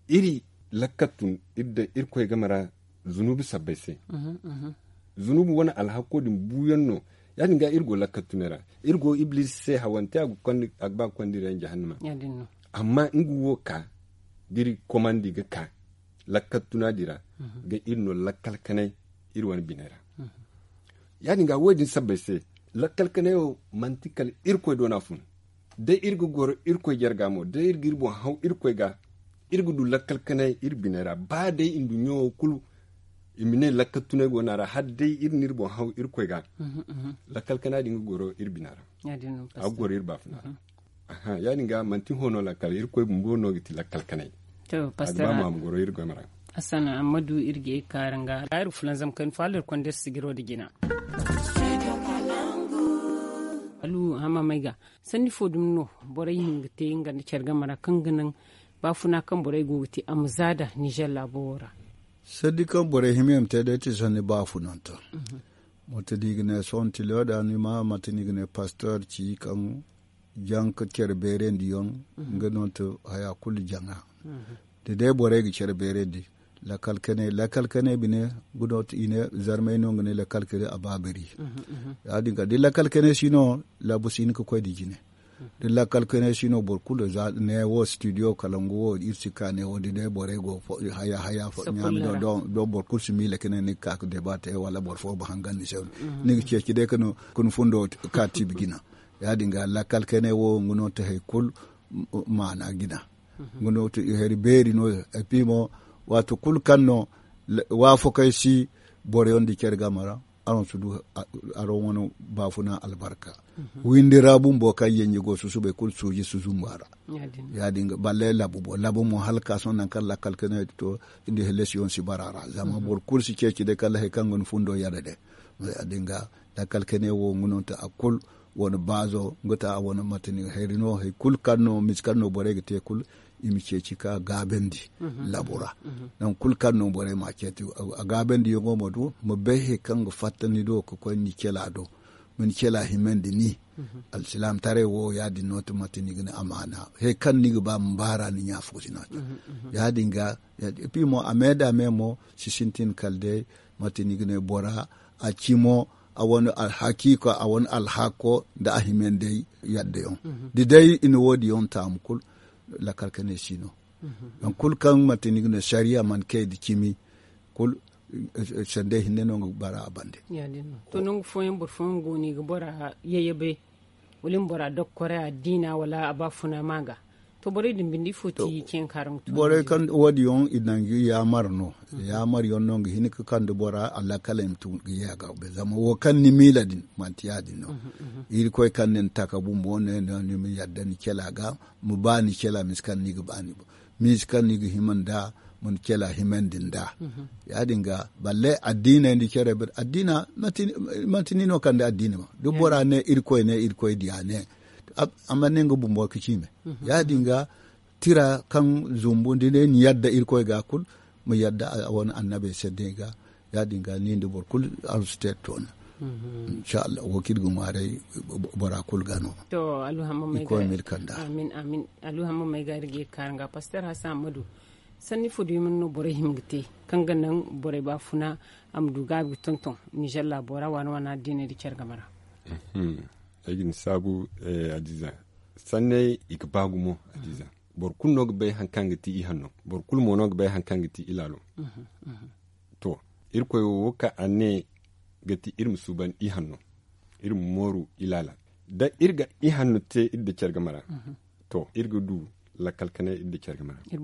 iri lakkal tun iri daŋ irkoy game ra zunubi sabbay se. Zunubi wane alhakko din buuyaŋ no ya- din ga iri go lakkal tunay ra iri go ibliisi se hawante a ga ba ga konda iri yaŋ jahannama. Amma nga wo ka da iri komandi ga ka lakkal tuna din ra ga iri no lakkal kanay iri wane biney ra. Ya- din ga wo- din sabbay se lakkal kanay wo manti kala irkoy do no a fun. Day iri ga goro irkoy jarga mo day iri ga iri boŋ haw irkoy ga iri ga du lakkal kanay iri biney ra ba day nduɲɲo wo kulu i ma ne lakkal tunay go no a ra hala day iri na iri boŋ haw irkoy ga. Lakkal kanay din ga goro iri bina ra a ga goro iri baafuna ra. Ya- din ga manti hõ no lakkal irkoy bumbo no ga ti lakkal kanay. A ga ba mo a ma goro iri game ra. Assana amma du iri ga ye ga kaaru nga ra iri fulanzam kayna fo hala iri konda iri sijiro nda jina. Alu hama may ga sanni fo dumi no borey hin ga te nga nda care game ra kaŋ ga naŋ baafuna kaŋ borey go ga te a ma za da nizer laabo wo ra. Sanni kaŋ borey hima yaŋ ma te day ti sanni baafunanto. Mate no i ga ne sohõ tilo da ni ma mate no i ga ne pastor ci kaŋ jaŋ ka care beerandi yaŋ. Nga no ti haya kulu jaŋa da day borey ga care beerandi. Lakkal kanay lakkal kanay bine gudo ti i ne zarmay no nga ne lakkal kanay a ba bari. Ya- din ga da lakkal kanay si no laabu si hin ga koy nda jine. Da lakkal kanay si no boro kulu za ne wo studio kala nga wo iri si ka ne wo da day borey go haya haya fo ɲaami do boro kulu si miila kanay ni ga ka ga deba te wala boro fo ba hangan ni se. Ni ga ceeci day ka ni fundo ka tiibi jina. Ya- din ga lakkal kanay wo nga no ti hari kulu maana jina. Nga no ti hari beeri no ya et puis mo waati kulu kaŋ no waafakey si boro yaŋ nda care game ra. Araŋ si du araŋ wane baafuna albarka. Windi ra bumbo kaŋ yanji go susubey kulu suuji si zumbu a ra. Ya- din ga balle labu mo labu mo hala ka sohõ nangu kaŋ lakkal kanay to nda helesiyoŋ si bara a ra zama boro kulu si ceeci day kala hari kaŋ ga ni fundo yadda day. Ya- din ga lakkal kanay wo nga no ti a kulu wane baazo nga ti a wane mate ni hari no hari kulu kaŋ no misi kaŋ no borey ga te kulu. i ma ceeci ka gaabandi laabo ra. Nangu kulu kaŋ no borey ma a ceeci a gaabandiyaŋo ma du ma bay hari kaŋ ga fatta ni do ga koy ni cela do ma ni cela himandi ni. Alsilaamataray wo ya- din no ti manti ni ga ne amaana hari kaŋ ni ga ba ma baara ni ɲaafo si no a te. Ya- din ga, et puis mo a me da me mo si sintin kala day manti ni ga ne bora a ci mo a wane alhakiiko a wane alhaako nda a himandey yadda yaŋ. Da day i na wo- din yaŋ taamu kulu lakkal kanay si no. Nangu kulu kaŋ manti ni ga ne sariya mana kay nda cimi kulu sandey hinne no nga ga bara a bande. To nangu fooyaŋ boro fooyaŋ go no i ga bora yayabay wala i ma bora dokkoray addiina wala a ba funa ma ga. To borey din binde ifo ti ceeyaŋ kaŋ araŋ ga tu borey kaŋ wo- din yaŋ i nangu yaamar no. Yaamar yaŋ no nga hin ga kande bora alakaley ma tun ga ye a ga. Zama wo kaŋ ni miila din manti ya- din no. Irkoy kaŋ ni na taka bumbo ne no ni ma yadda ni cela ga ma ba ni cela misa kaŋ ni ga ba ni boŋ misa kaŋ ni ga hima nda ma ni cela himandi nda. Ya- din ga balle addiiney nda care bere addiina manti ni no kande addiina ma da bora ne irkoy ne irkoy diya ne. Amma ne nga bumbo ga ci me ya- din ga tira kaŋ zumbu da ne ni yadda irkoy ga kulu ma yadda a wane annabey se day ga. Ya- din ga ni nda boro kulu arzu te toona. Insha Allah wo kaŋ iri ga ŋwaaray bora kulu ga no. To alluhamma may ga iri ga ye ga kaara nga paster hasan ammadu. Sanni fo duyaŋ no borey hima ga te kaŋ ga naŋ borey baafuna a ma du gaabi ga tonton nizer laabo ra waana waana addiiney nda care game ra? Ay ga ni saabu adiiza. Sanney i ga ba gumo adiiza. Boro kulu no ga bay hari kaŋ ga ti ihanno. Boro kulu mo no ga bay hari kaŋ ga ti ilaalo. To irkoy wo wo kaŋ a ne ga ti iri ma suuban ihanno iri ma mooru ilaala. Da iri ga ihanno te iri nda care game ra to iri ga du lakkal kanay iri nda care game ra. Iri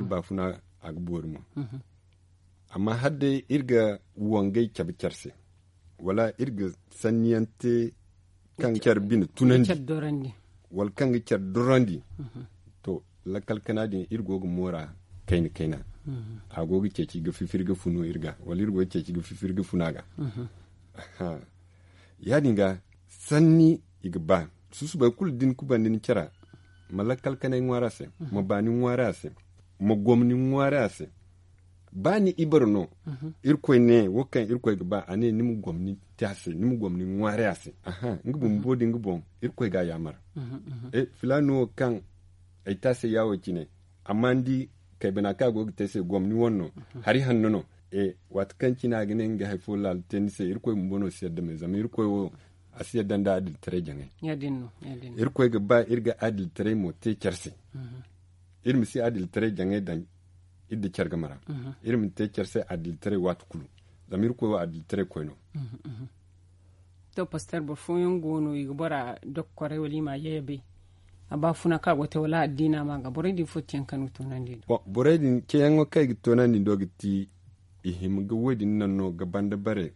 baafuna a ga boori mo. Amma hala day iri ga wangay cabe care se wala iri ga sanniyaŋ te kaŋ care bine tunandi wala kaŋ ga care dorandi. To lakkal kana din iri go ga moora kayna kayna. A go ga ceeci ga fifiri ga funu iri ga wala iri go ga ceeci ga fifiri ga funu a ga. Ya- din ga sanni i ga ba susubay kulu da ni kubandi ni cara ma lakkal kanay ŋwaari a se ma baani ŋwaari a se ma gomni ŋwaari a se. Ba ni ibaro no irkoy ne wo kaŋ irkoy ga ba a ne ni ma gomni te a se ni ma gomni ŋwaari a se. Nga bumbo din ga boŋ irkoy ga a yaamar. Filaani wo kaŋ ay te a se yaawo cine amma ni di kaybana kaŋ a go ga te ay se gomni wane no hari hanno no. Waati kaŋ cine a ga ne nga hari fo laala te ni se irkoy bumbo no si yadda me zama irkoy wo a si yadda nda adilitaray jaŋay. Irkoy ga ba iri ga adilitaray mo te care se. Iri ma si adilitaray jaŋay daŋ iri nda care game ra. Iri ma te care se adilitaray waati kulu zama irkoy wo adilitaray koy no. To paster boro fooyaŋ go no i ga bora dokkoray wala i ma a yayabay a ba funa kaŋ a go ga te wala addiina ma ga borey din fo ti yaŋ kaŋ ni ga toonandi nda borey din ceeyaŋo kaŋ i ga toonandi ndo ga ti i hima ga wo- din naŋ no ga banda bare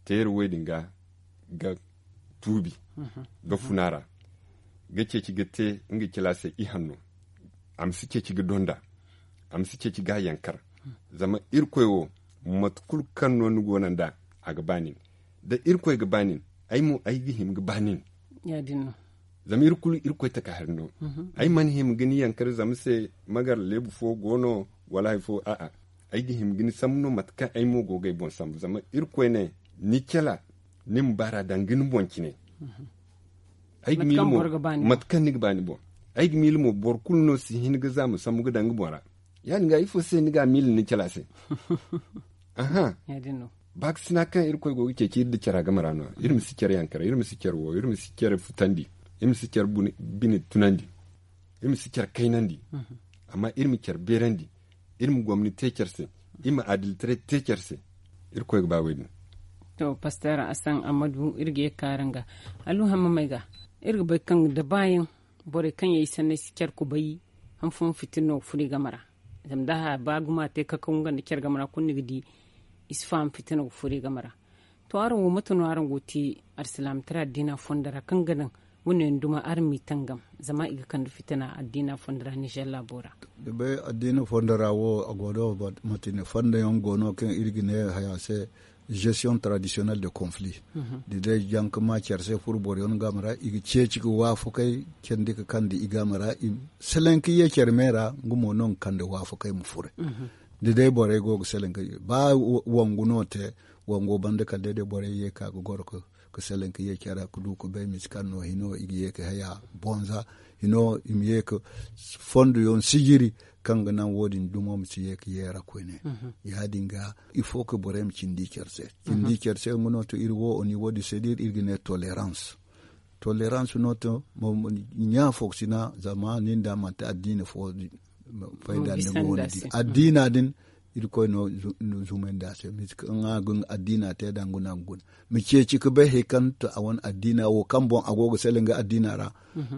teeri wo- din ga ga tuubi ga funa ra ga ceeci ga te nga cila se ihanno. A ma si ceeci ga donda a ma si ceeci ga a yankar. Zama irkoy wo mate kulu kaŋ no ni go no nd'a a ga ba nin da irkoy ga ba nin ay mo ay ga hima ga ba nin. Zama iri kulu irkoy taka hari no. Ay mana hima ga ni yankar zama se magar leebu fo go no wala hari fo a'a. Ay ga hima ga ni sambu no mate kaŋ ay mo go ga ay boŋ sambu zama irkoy ne ni cala ni ma baara daŋ ga ni boŋ cine. Ay ga miila mo mate kaŋ ni ga ba ni boŋ ay ga miila mo boro kulu no si hin ga za ma sambu ga daŋ ga boŋ ra. Ya- din ga ifo se ni ga a miila ni cala se? Aha. Baakasina kaŋ irkoy go ga ceeci iri nda cara game ra no iri ma si care yaŋ kara iri ma si care wo iri ma si care futandi iri ma si care bine tunandi iri ma si care kaynandi. Amma iri ma care beerandi iri ma gomni te care se iri ma adilitaray te care se. Irkoy ga ba wo- din. To paster asan ammadu iri ga ye ga kaara nga alluhamma may ga iri ga bay kaŋ da baayaŋ borey kaŋ yaŋ i sanney si care kubay han fooyaŋ fitina no ga furo i game ra. Zama da a ba gumo a te kakaw nga nda care game ra kulu ni ga di i si faham fitina ga furo i game ra. To araŋ wo mate no araŋ go ga te alsilaamataray addiina fondo ra kaŋ ga naŋ wane yaŋ duma araŋ m'i tangam zama i ga kande fitina addiina fondo ra nizer laabo ra? Da bay addiina fondo ra wo a go no manti ne fondo yaŋ go no kaŋ iri ga ne haya se. gestion traditionnel de conflit. Da day jaŋ ka ma care se furo boro yaŋ game ra i ga ceeci ga waafakay candi ga kandi i game ra. Salaŋ ka ye care me ra nga mo no nga kande waafakay ma furo. Da day borey go ga salaŋ ka ba wangu no te wango banda kala day day borey ye ka ga goro ka salaŋ ka ye care ra ka du ka bay misi kaŋ no hino i ga ye ka haya bonza hino i ma ye ka fondo yaŋ sijiri kaŋ ga naŋ wo- din dumo ma si ye ka yeera koyne. Ya- din ga ifo ka borey ma cindi care se cindi care se nga no to iri wo oni wo- din se da iri ga ne tolerance. Tolerance no to ɲa fo ga si na zama nin da manti addiina fo fayda nda go ni di addiina din. Irkoy no zumandi a se misi kaŋ a ga addiina te da nga no a ga guna ma ceeci ka bay hari kaŋ to a wane addiina wo kaŋ boŋ a go ga sala nga addiina ra.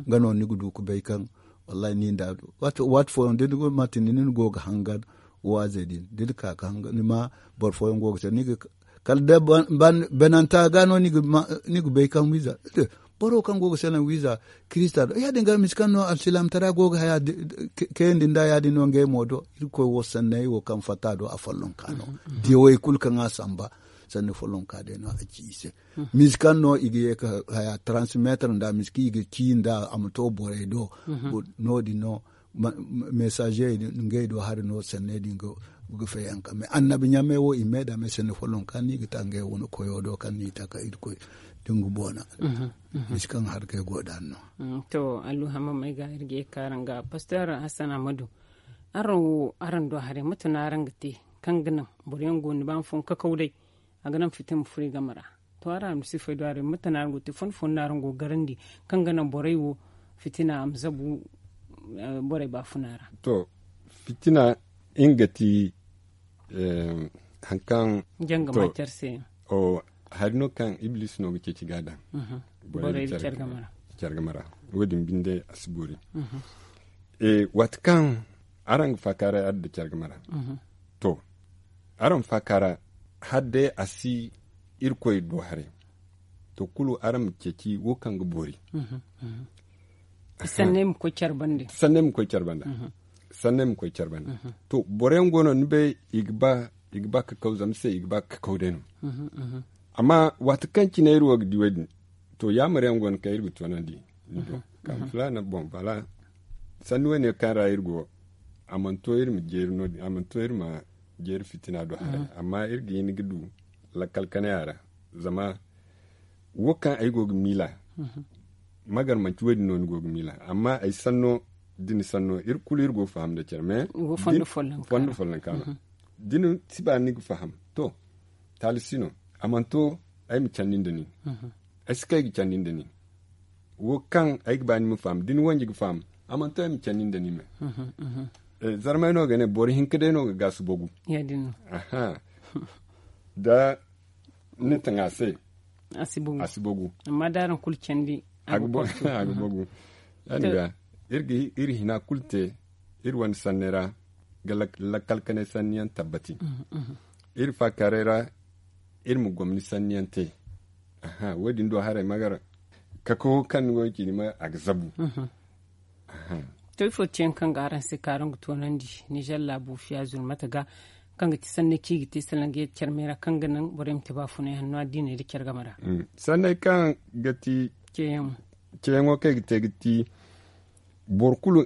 Nga no ni ga du ka bay kaŋ wallahi ni nda waati fooyaŋ da ni go ga hangan waazey din da ni ka ga hangan ni ma boro fooyaŋ go ga te ni ga kala day bananta ga no ni ga bay kaŋ wiiza boro kaŋ go ga sala wiiza kirista do ya- din ga misi kaŋ no alsilaamtara go ga haya kayandi nda ya- din no ngey mo do irkoy wo sanney wo kaŋ fatta do a follonka no. Diyawey kulu kaŋ a samba sanni follonka day no a ci i se. Misi kaŋ no i ga ye ka haya transmettre nda misi kaŋ i ga ci nda a ma to borey do. No- din no mesaze ngey do hari no sanney din ga fayanka mais annabi ɲamey wo i me da me sanni follonka no i ga ta ngey wane koyo do kaŋ no i ta ka irkoy da nga boona. Misi kaŋ hari kay go da no. To alluhama may ga iri ga ye ka araŋ ga pastor hassan amadu. Araŋ wo araŋ do haray mate no araŋ ga te kaŋ ga naŋ boro yaŋ go ni ba ma fun kakaw day a ga naŋ fitina ma furo i game ra. To araŋ almusifey do haray mate no araŋ go ga te fon fon no araŋ go ga garandi kaŋ ga naŋ borey wo fitina a ma zabu borey baafuna ra. To fitina nga ti haŋ kaŋ janga ma care se yaŋ. Hari no kaŋ ibliisi no ga ceeci ga a daŋ borey da care game ra. Wo- din binde a si boori. Waati kaŋ araŋ ga faakaaray adda care game ra to araŋ faakaaray hadde a si irkoy do haray. To kulu araŋ ma ceeci wo kaŋ ga boori. Sanney ma koy care banda. Sanney ma koy care banda. To boro yaŋ go no ni bay i ga ba kakaw zama se i ga ba kakaw day no. Amma waati kaŋ cine iri wo ga di wo- din to yaamar yaŋ go no kaŋ iri ga toonandi ni do kaŋ filaana boŋ bala sanni wane kaŋ ra iri go. A mana to iri ma jeeri no- din a mana to iri ma jeeri fitina do haray amma iri ga hin ga du lakkal kanay a ra. Zama wo kaŋ ay go ga miila magar manti wo- din no ni go ga miila amma ay sanno da ni sanno iri kulu iri go ga faham nda care mais fondo follonka no da ni si ba ni ga faham to taali si no. A mana to ay ma candi nda nin ay si kay ga candi nda nin wo kaŋ ay ga ba ni ma faham da ni wanji ga faham a mana to ay ma candi nda nin me. Zarmay no ga ne boro hinka day no ga gaasu bogu. Da ni taŋa se a si bogu amma da araŋ kulu candi a ga bogu. Ya- din ga iri ga iri hina kulu te iri wane sanney ra ga lakkal kanay sanni yaŋ tabbati. Iri faakaaray ra iri ma gomni sanni yaŋ te. Wo- din do haray magar kakawo kaŋ ni go ga ci ni ma a ga zabu. To ifo te yaŋ kaŋ ga araŋ se ka araŋ ga toonandi nizer laabu fiya zulmata ga kaŋ ga ti sanney kaŋ i ga te salaŋ ga yadda care me ra kaŋ ga naŋ borey ma te baafunay hanno addiiney nda care game ra. Sanney kaŋ ga ti ceeyaŋo kaŋ i ga te ga ti boro kulu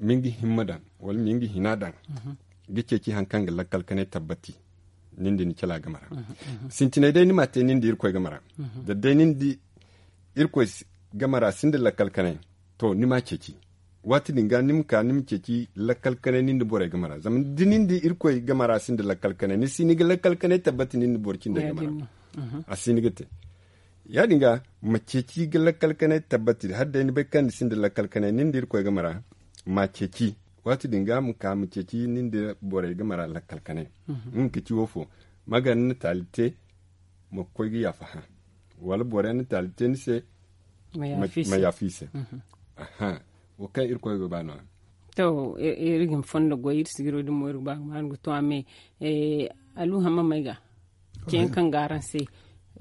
ma nga himma daŋ wala ma nga hina daŋ ga ceeci hari kaŋ ga lakkal kanay tabbati. Nin da ni cala game ra sintinay day ni ma te nin da irkoy game ra. Da day nin da irkoy game ra sinda lakkal kanay to ni ma ceeci. Waati din ga ni ma ka ni ma ceeci lakkal kanay nin da borey game ra zama da nin da irkoy game ra sinda lakkal kanay ni si ni ga lakkal kanay tabbati nin da boro cindey game ra. A si ni ga te ya- din ga ma ceeci ga lakkal kanay tabbati hala day ni bay kaŋ ni sinda lakkal kanay nin da irkoy game ra ma ceeci. Waati din ga ma ka ma ceeci nin da borey game ra lakkal kanay. Nga ka ci wo fo ma gar ni na taali te ma koy ga yaafa hã wala boro yaŋ na taali te ni se ma yaafa i se. Wo kaŋ irkoy go ba no- ya to iri ga ni fondo goy iri sigiro din mo iri ga ba ga ma ni ga to a me. Aluhama may ga ceeyaŋ kaŋ ga araŋ se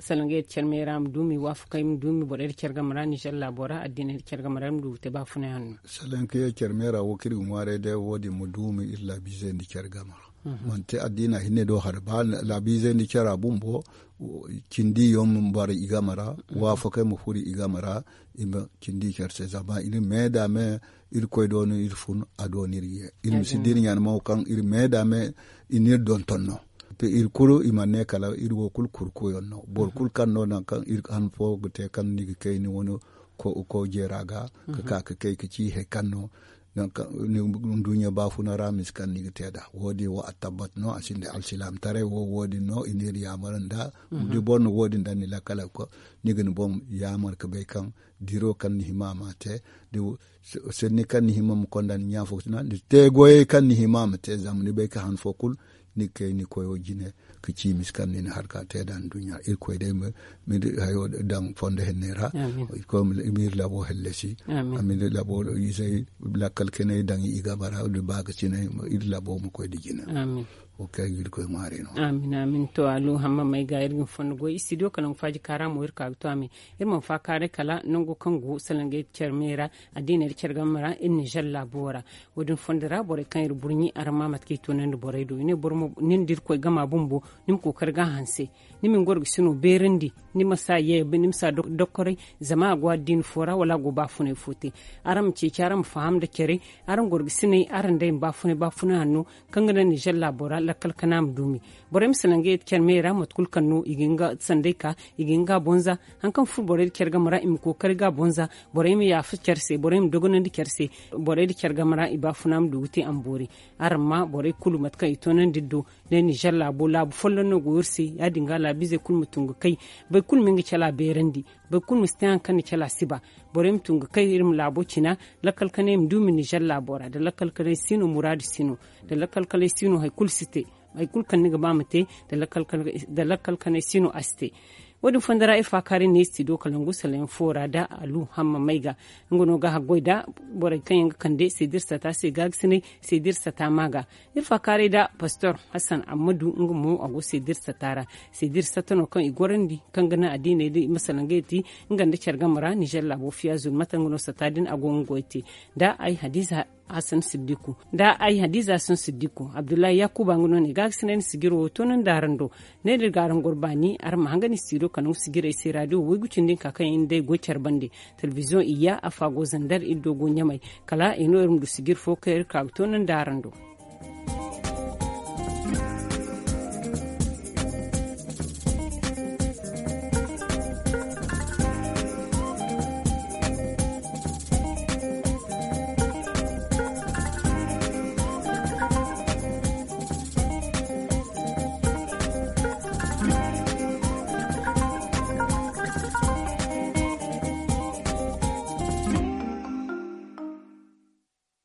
Salaŋ ga yadda care meera ma duumi waafakay ma duumi borey da care game ra ninzeer laabo ra addiiney da care game ra iri ma du ga te baafunay hanno. Salaŋ ga yadda care meera wo kaŋ iri ga ŋwaaray day wo- din ma duumi iri laabiizey nda care game ra. Manti addiina hinne do hari ba laabiizey nda care bumbo. Cindi yaŋ ma bara i game ra waafakay ma furo i game ra. I ma cindi care se zama iri me da me. Irkoy do no iri fun a do no iri ye. Iri ma si da iri ɲaana mo kaŋ iri me da me i n'iri donton no. Iri kulu i mana ne kala iri wo kulu kurkuyaŋ no boro kulu kaŋ no nangu kaŋ iri han fo ga te kaŋ ni ga kay ni wane ko jeera ga ka ka ga kay ga ci hari kaŋ no. Nduɲɲa baafuna ra misa kaŋ ni ga te nd'a wo- din wo a tabbat no a sinda alsilaamataray wo wo- din no i n'iri yaamar nd'a. Da boro na wo- din daŋ ni lakkal ga koy ni ga ni boŋ yaamar ga bay kaŋ diro kaŋ ni hima ma te da sanni kaŋ ni hima ma konda ni ɲaafo ga tuna da te goyey kaŋ ni hima ma te zama ni bay kaŋ han fo kulu ni ga kay ni koyo jine ga ci misa kaŋ ni na harka te nd'a nduɲɲa irkoy day ma iri hayo daŋ fondo henney ra. Irkoy ma iri labo hallasi. Amin. Iri labo izey lakkal kanay daŋ i game ra da ba ga sinay iri labo ma koy da jine. Wo kaŋ ga irkoy ŋwaari no. Amin amin to alu hamma may ga iri ga ni fondo goy istidiyo kala nga faaji kaara mo iri ka ga to amin. Iri mana faakaaray kala nango kaŋ go salangey care me ra addiiney da care game ra iri ninzeer laabo ra. Wo- din fondo ra borey kaŋ iri burɲi araŋ ma mate kaŋ i toonandi borey do i ne boro mo nin da irkoy gama bumbo ni ma kookari ga a hanse. Ni ma ni gorgasino beerandi ni ma si a ye ni ma si a dokkoray. Zama a go addiini fo ra wala a go baafunay fo te. Araŋ ma ceeci araŋ ma faham nda care. Araŋ gorgasiney araŋ day ma baafunay baafunay hanno kaŋ ga naŋ ninzeer laabo ra lakkal kana ma duumi. Borey ma salaŋ ga yadda care me ra mate kulu kaŋ no i ga hin ga sanday ka i ga hin ga a bonza. Hari kaŋ furo borey da care game ra i ma kookari ga a bonza. Borey ma yaafa care se borey ma dogonandi care se. Borey da care game ra i baafuna ma du ga te a ma boori. Araŋ ma borey kulu mate kaŋ i toonandi iri do ne ninzeer laabo laabu folloŋ no go iri se ya- din ga laabiizey kulu ma tun ga kay. Boro kulu ma nga cala beerandi. Boro kulu ma si te hari kaŋ ni cala si ba. Borey ma tun ga kay iri ma laabo cina. Lakkal kanay ma duumi ninzeer laabo ra nda lakkal kanay siino muraadu siino nda lakkal kanay siino hari kulu si te. Hari kulu kaŋ ni ga ba ma te nda lakkal kanay siino a si te. Wo- din fondo ra iri faakaaray ne istidiyo kalangu salayaŋ fo ra nda alu hamma may ga. Nga no ga haggoy nda borey kaŋ yaŋ ga kande seeda iri sata se gaagasinay seeda iri sata ma ga. Iri faakaaray nda pastor hasan ammadu nga mo a go seeda iri sata ra. Seeda iri sata no kaŋ i gorandi kaŋ ga naŋ addiiney da i ma salangey te. Nga nda care game ra ninzeer laabo fiya zulmata nga no sata din a go nga goy te. Nda ay hadiza hasan siddiku nda ay hadiza hasan siddiku abdullahi yakuba nga no ne gaagasinay ni sijiro wo to no nda araŋ do. Ne da iri ga araŋ goro baani araŋ ma hanga ni sijiro kala nga sijirey se raadiyo waygu cindi nka kaŋ yaŋ day goy care bande. Telebiziyoŋ iyya afa go zandar iri do go ɲamay. Kala i no iri ma du sijir fo kaŋ iri ka ga to no nda araŋ do.